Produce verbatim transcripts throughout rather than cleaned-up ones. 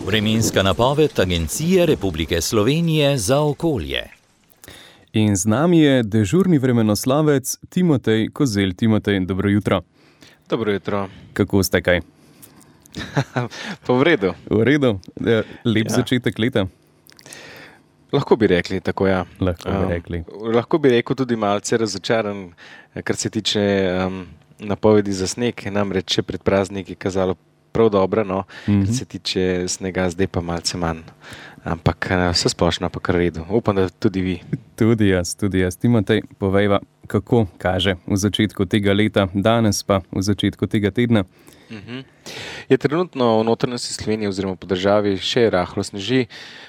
Vremenska napoved Agencije Republike Slovenije za okolje. In z nami je dežurni vremenoslovec Timotej Kozelj. Timotej, dobro jutro. Dobro jutro. Kako ste kaj? Pa v redu. V redu? Lep ja. Začetek leta? Lahko bi rekli, tako ja. Lahko bi rekli. Um, lahko bi rekel tudi malce razočaran, kar se tiče um, napovedi za sneg. Namreč še pred prazniki kazalo prav dobro, no, mm-hmm. kar se tiče snega, zdaj pa malce manj. Ampak vse splošno pa kar redu. Upam, da tudi vi. Tudi jaz, tudi jaz. Timotej, povejva, kako kaže v začetku tega leta, danes pa v začetku tega tedna. Uh-huh. Je trenutno v notranjosti Slovenije oziroma po državi še rahlo sneži.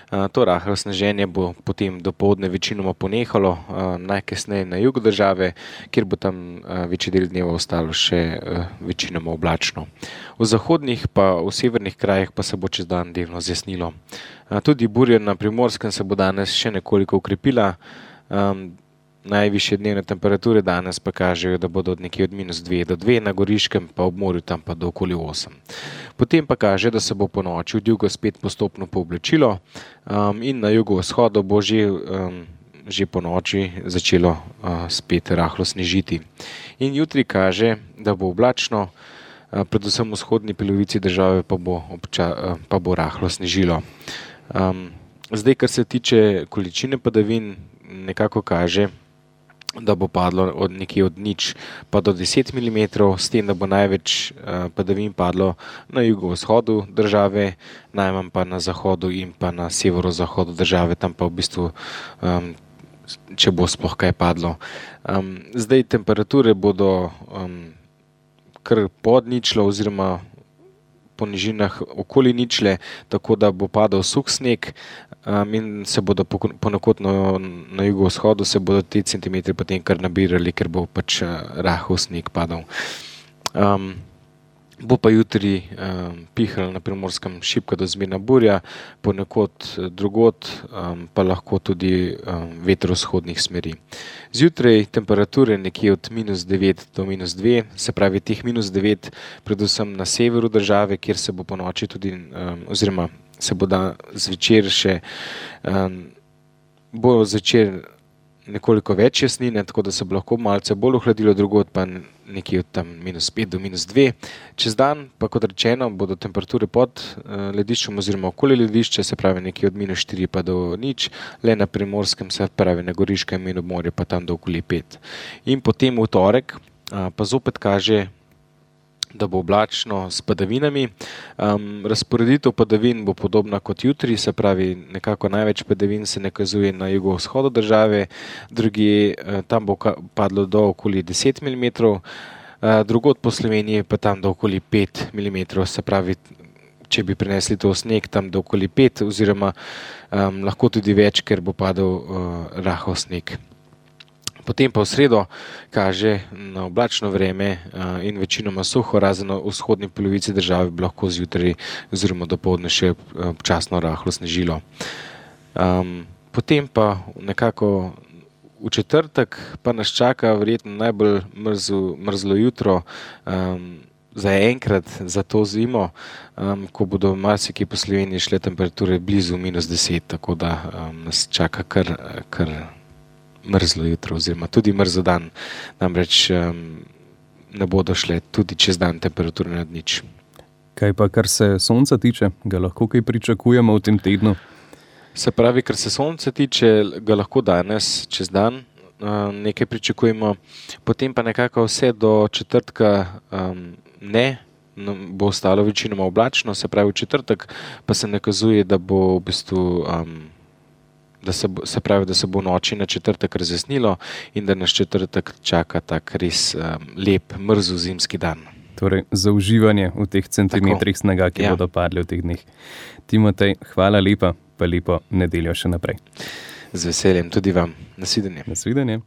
To rahlo sneženje bo potem dopoldne večinoma ponehalo, najkasneje na jugu države, kjer bo tam večji del dneva ostalo še večinoma oblačno. V zahodnih pa v severnih krajih pa se bo čez dan delno zjasnilo. Tudi burja na Primorskem se bo danes še nekoliko ukrepila. Najvišje dnevne temperature danes pa kažejo, da bodo od nekje od minus dve do dve, na Goriškem pa ob morju tam pa do okoli osem. Potem pa kaže, da se bo po noči od jugo spet postopno pooblačilo um, in na jugovzhodu bo že, um, že po noči začelo uh, spet rahlo snežiti. In jutri kaže, da bo oblačno, uh, predvsem v vzhodni polovici države pa bo, obča, uh, pa bo rahlo snežilo. Um, zdaj, kar se tiče količine padavin, nekako kaže, da bo padlo od nekje od nič pa do deset milimetrov, s tem, da bo največ uh, padavin padlo na jugovzhodu države, najmanj pa na zahodu in pa na severozahodu države, tam pa v bistvu, um, če bo sploh kaj padlo. Um, zdaj temperature bodo um, kar pod ničlo oziroma po nižinah okoli ničle, tako da bo padal suh sneg um, in se bodo ponekod na, na jugovzhodu se bodo te centimetri potem kar nabirali, ker bo pač rahel sneg padal. Um, bo pa jutri um, pihal na Primorskem šibka do zmerna burja, ponekod drugod um, pa lahko tudi um, vetrozhodnih smeri. Zjutraj temperature nekje od minus devet do minus dve, se pravi teh minus devet predvsem na severu države, kjer se bo po noči tudi, um, oziroma se bo da zvečer še, um, bo zvečer nekoliko več jasnine, tako da se bo lahko malce bolj ohladilo, drugod pa nekje od tam minus pet do minus dve. Čez dan pa, kot rečeno, bodo temperature pod uh, lediščem oziroma okoli ledišča, se pravi nekje od minus štiri pa do nič, le na Primorskem, se pravi na Goriškem in ob morju pa tam do okoli pet. In potem v torek uh, pa zopet kaže, da bo oblačno s padavinami. Um, razporeditev padavin bo podobna kot jutri, se pravi nekako največ padavin se nakazuje na jugovzhodu države, drugi uh, tam bo padlo do okoli deset milimetrov, uh, drugod po Sloveniji pa tam do okoli pet milimetrov, se pravi, če bi prinesli to sneg tam do okoli pet oziroma um, lahko tudi več, ker bo padal uh, rahel sneg. Potem pa v sredo kaže na oblačno vreme in večinoma suho, razen v vzhodni polovici države bi lahko zjutraj oziroma dopoldne še občasno rahlo snežilo. Um, potem pa nekako v četrtek pa nas čaka verjetno najbolj mrzlo, mrzlo jutro um, za enkrat za to zimo, um, ko bodo marsikje po Sloveniji šle temperature blizu minus deset, tako da um, nas čaka kar, kar mrzlo jutro oziroma tudi mrzlo dan, namreč um, ne bodo šle tudi čez dan temperature nad nič. Kaj pa, kar se sonca tiče, ga lahko kaj pričakujemo v tem tednu? Se pravi, kar se sonca tiče, ga lahko danes čez dan um, nekaj pričakujemo, potem pa nekako vse do četrtka um, ne, no, bo ostalo večinoma oblačno, se pravi v četrtek pa se nakazuje, da bo v bistvu um, Da se, bo, se pravi, da se bo noči na četrtek razjasnilo in da nas četrtek čaka tak res um, lep, mrzel zimski dan. Torej, za uživanje v teh centimetrih Tako. snega, ki ja. bodo padli v teh dneh. Timotej, hvala lepa, pa lepo nedeljo še naprej. Z veseljem, tudi vam. Nasvidenje. Nasvidenje.